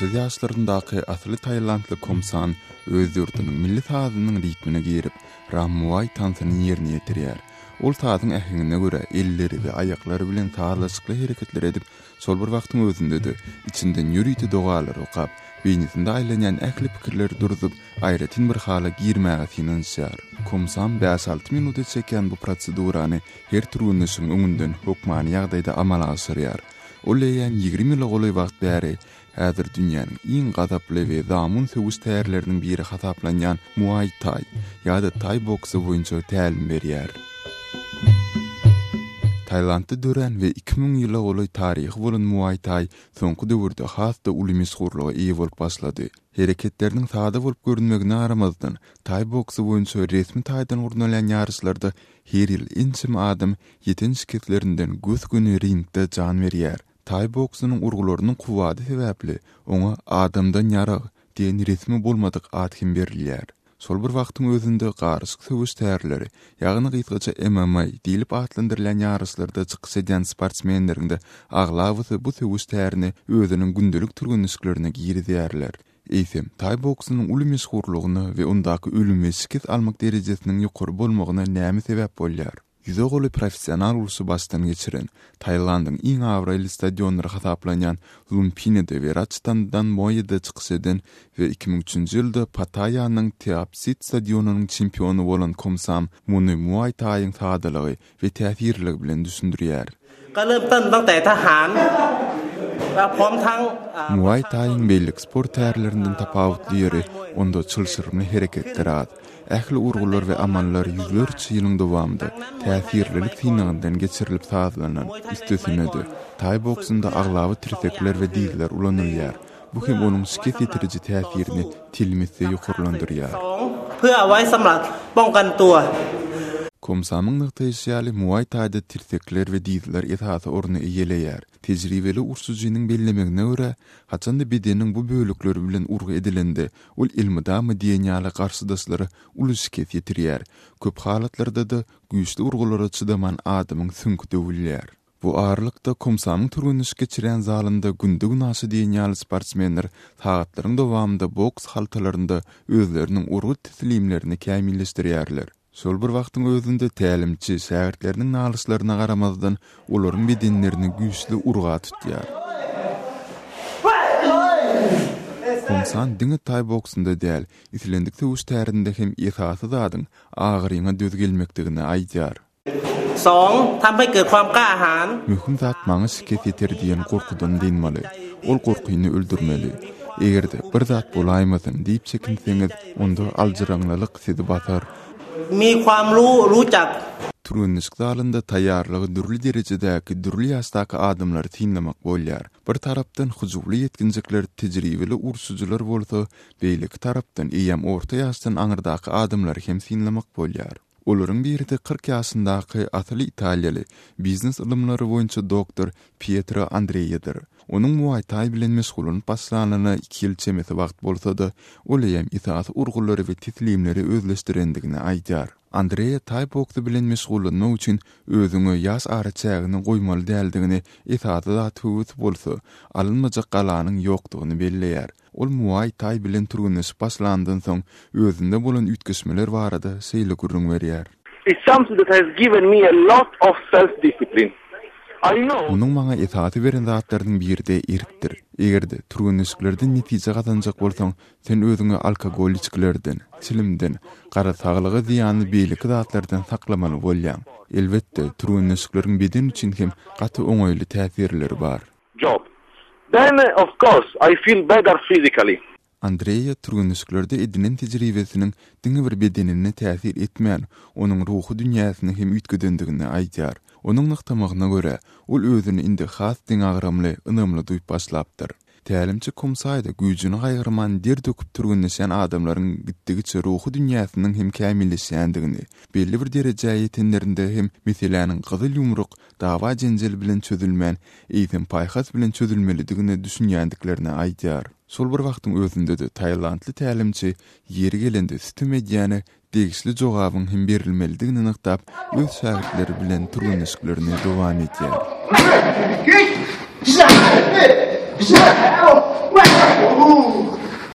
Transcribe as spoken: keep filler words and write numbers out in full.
Otuz ýaşlaryndaky asyly tailandly Komsan öz ýurdunyň milli sazynyň ritmine girip, Ram Muay tansyny ýerine ýetirýär. Ol sazyň äheňine görä elleri we aýaklary bilen sazlaşykly hereketler edip, şol bir wagtyň özünde-de içinden ýörite dogalar okap, beýnisinde aýlanýan ähli pikirleri durzup, aýratyn bir hala girmäge synanyşýar. Komsam bäş-alty minuta çekýän bu prosedurany her türgenleşigiň öňünden hökmany ýagdaýda amala aşyrýar. Ol eýýäm ýigrimi ýyla golaý wagt bäri häzir dünýäniň iň gazaply we zamun söweş tärleriniň biri hasaplanýan Muay Thai ýa-da Thai boksy boýunça tälim berýär. Tailandda dörän we iki müň ýyla golaý taryhy bolan Muay Thai soňky döwürde has-da uly meşhurlyga eýe bolup başlady. Hereketleriniň sada bolup görünmegine garamazdan, Thai boksy boýunça resmi taýdan gurnalýan ýaryşlarda her ýyl ençeme adam ýeten şikeslerinden gös-göni ringde jan berýär. Thai boksynyň urgularynyň kuwwady sebäpli oňa adamdan ýarag diýen resmi bolmadyk at hem berilýär. Şol bir wagtyň özünde garyşyk söweş tärleri, ýagny gysgaça M M A diýlip atlandyrylýan ýaryşlarda çykyş edýän sportsmenleriň-de aglabasy bu söweş tärini özüniň gündelik türgenleşiklerine girizýärler. Eýsem, Thai boksynyň uly meşhurlygyna we ondaky ölüm we şikes almak derejesiniň ýokary bolmagyna näme sebäp bolýar? Ýüze golaý professional urşy başdan geçiren, Tailandyň iň abraýly stadionlary hasaplanýan Lumpinide we Ratchadamnoýda çykyş eden we iki müň üçünji ýylda Pattaýanyň Teapsit stadionynyň çempiony bolan Komsam muny Muay Thaiň sadalygy we täsirliligi bilen düşündirýär. ก็เริ่มต้นตั้งแต่ทหารและพร้อมทั้ง Muay Thaiň bellik sport tärlerinden tapawutly ýeri onda çylşyrymly hereketler az. Ähli urgular we amallar ýüzlerçe ýylyň dowamynda täsirlilik synagyndan geçirilip sazlanan. Üstesine-de, Thai boksunda aglaba tirsekler we dizler ulanylýar. Bu hem onuň şikes ýetiriji täsirini telim etse ýokarlandyrýar. เพื่อไว้สำหรับป้องกันตัว Komsamyň nygtaýşy ýaly Muay Thai'da tirsekler we dizler esasy orny eýeleýär. Tejribeli urşujynyň bellemegine görä, haçanda bedeniň bu bölekleri bilen urgy edilende, ol elmydama diýen ýaly garşydaşlara uly şikes ýetirýär. Köp halatlarda-da güýçli urgulara çydaman adamyň süňki döwülýär. Bu aralykda Komsamyň türgenleşik geçirýän zalynda günde-gün aşa diýen ýaly sportsmenler sagatlaryň dowamynda boks haltalarynda özleriniň urgy teslimlerini kämilleşdirýärler. Şol bir wagtyň özünde tälimçi şägirtleriniň nalyşlaryna garamazdan olaryň bedenlerini güýçli urga tutýar. Komsan diňe Thai boksunda däl, islendik söweş tärinde hem esasy zadyň agyryňa döz gelmekdigini aýdýar. สองทำให้เกิดความกล้าหาญ Möhüm zat maňa şikes ýeter diýen gorkudan dynmaly. Ol gorkyny öldürmeli. Eger-de bir zat bolaýmasyn diýip çekinseňiz, onda aljyraňlylyk sizi basar. มีความรู้รู้จัก Türgenleşik zalynda taýýarlygy dürli derejedäki, dürli ýaşdaky adamlary synlamak bolýar. Bir tarapdan hyjuwly ýetginjekler, tejribeli urşujylar bolsa, beýleki tarapdan eýýäm orta ýaşdan aňyrdaky adamlary hem synlamak bolýar. Olaryň biri-de kyrk ýaşyndaky asyly italiýaly biznes ylymlary boýunça doktor Pietro Andreýedir. Onuň Muay Thai bilen meşgullanyp başlanyna iki ýyl çemesi wagt bolsa-da, ol eýýäm esasy urgulary we teslimleri özleşdirendigini aýdýar. Andreýa Thai boksy bilen meşgullanmak üçin özüňe ýaş araçägini goýmaly däldigini, esasy zat höwes bolsa, alynmajak galanyň ýokdugyny belleýär. Ol Muay Thai bilen türgenleşip başlandan soň özünde bolan üýtgeşmeler barada şeýle gürrüň berýär. It's something that has given me a lot of self-discipline. I know. Onuň maňa esasy beren zatlarynyň biri-de erkdir. Eger-de türgenleşiklerden netije gazanjak bolsaň, sen özüňe alkogol içgilerden, çilimden, gara saglyga zyýanly beýleki zatlardan saklamaly bolýaň. Elbetde, türgenleşikleriň beden üçin hem gaty oňaýly täsirleri bar. Job. Then, of course, I feel better physically. Andreýa türgenleşiklerde edinen tejribesiniň diňe bir bedenine täsir etmän, onuň ruhy dünýäsini hem üýtgedendigini aýdýar. Onuň nygtamagyna görä, ol özüni indi has deňagramly, ynamly duýup başlapdyr. Tälimçi Komsaýda güýjüni gaýgyrman der döküp türgenleşen adamlaryň gitdigiçe ruhy dünýäsiniň hem kämilleşýändigini, belli bir derejä ýetenlerinde hem meseläniň gyzyl ýumruk, dawa jenjel bilen çözülmän, eýsem paýhas bilen çözülmelidigini düşünýändiklerini aýdýar. Şol bir wagtyň özünde-de Tailandly tälimçi ýeri gelende sütüm edýäne degişli jogabyň hem berilmelidigini nygtap, öz şägirtleri bilen türgenleşiklerini dowam edýär.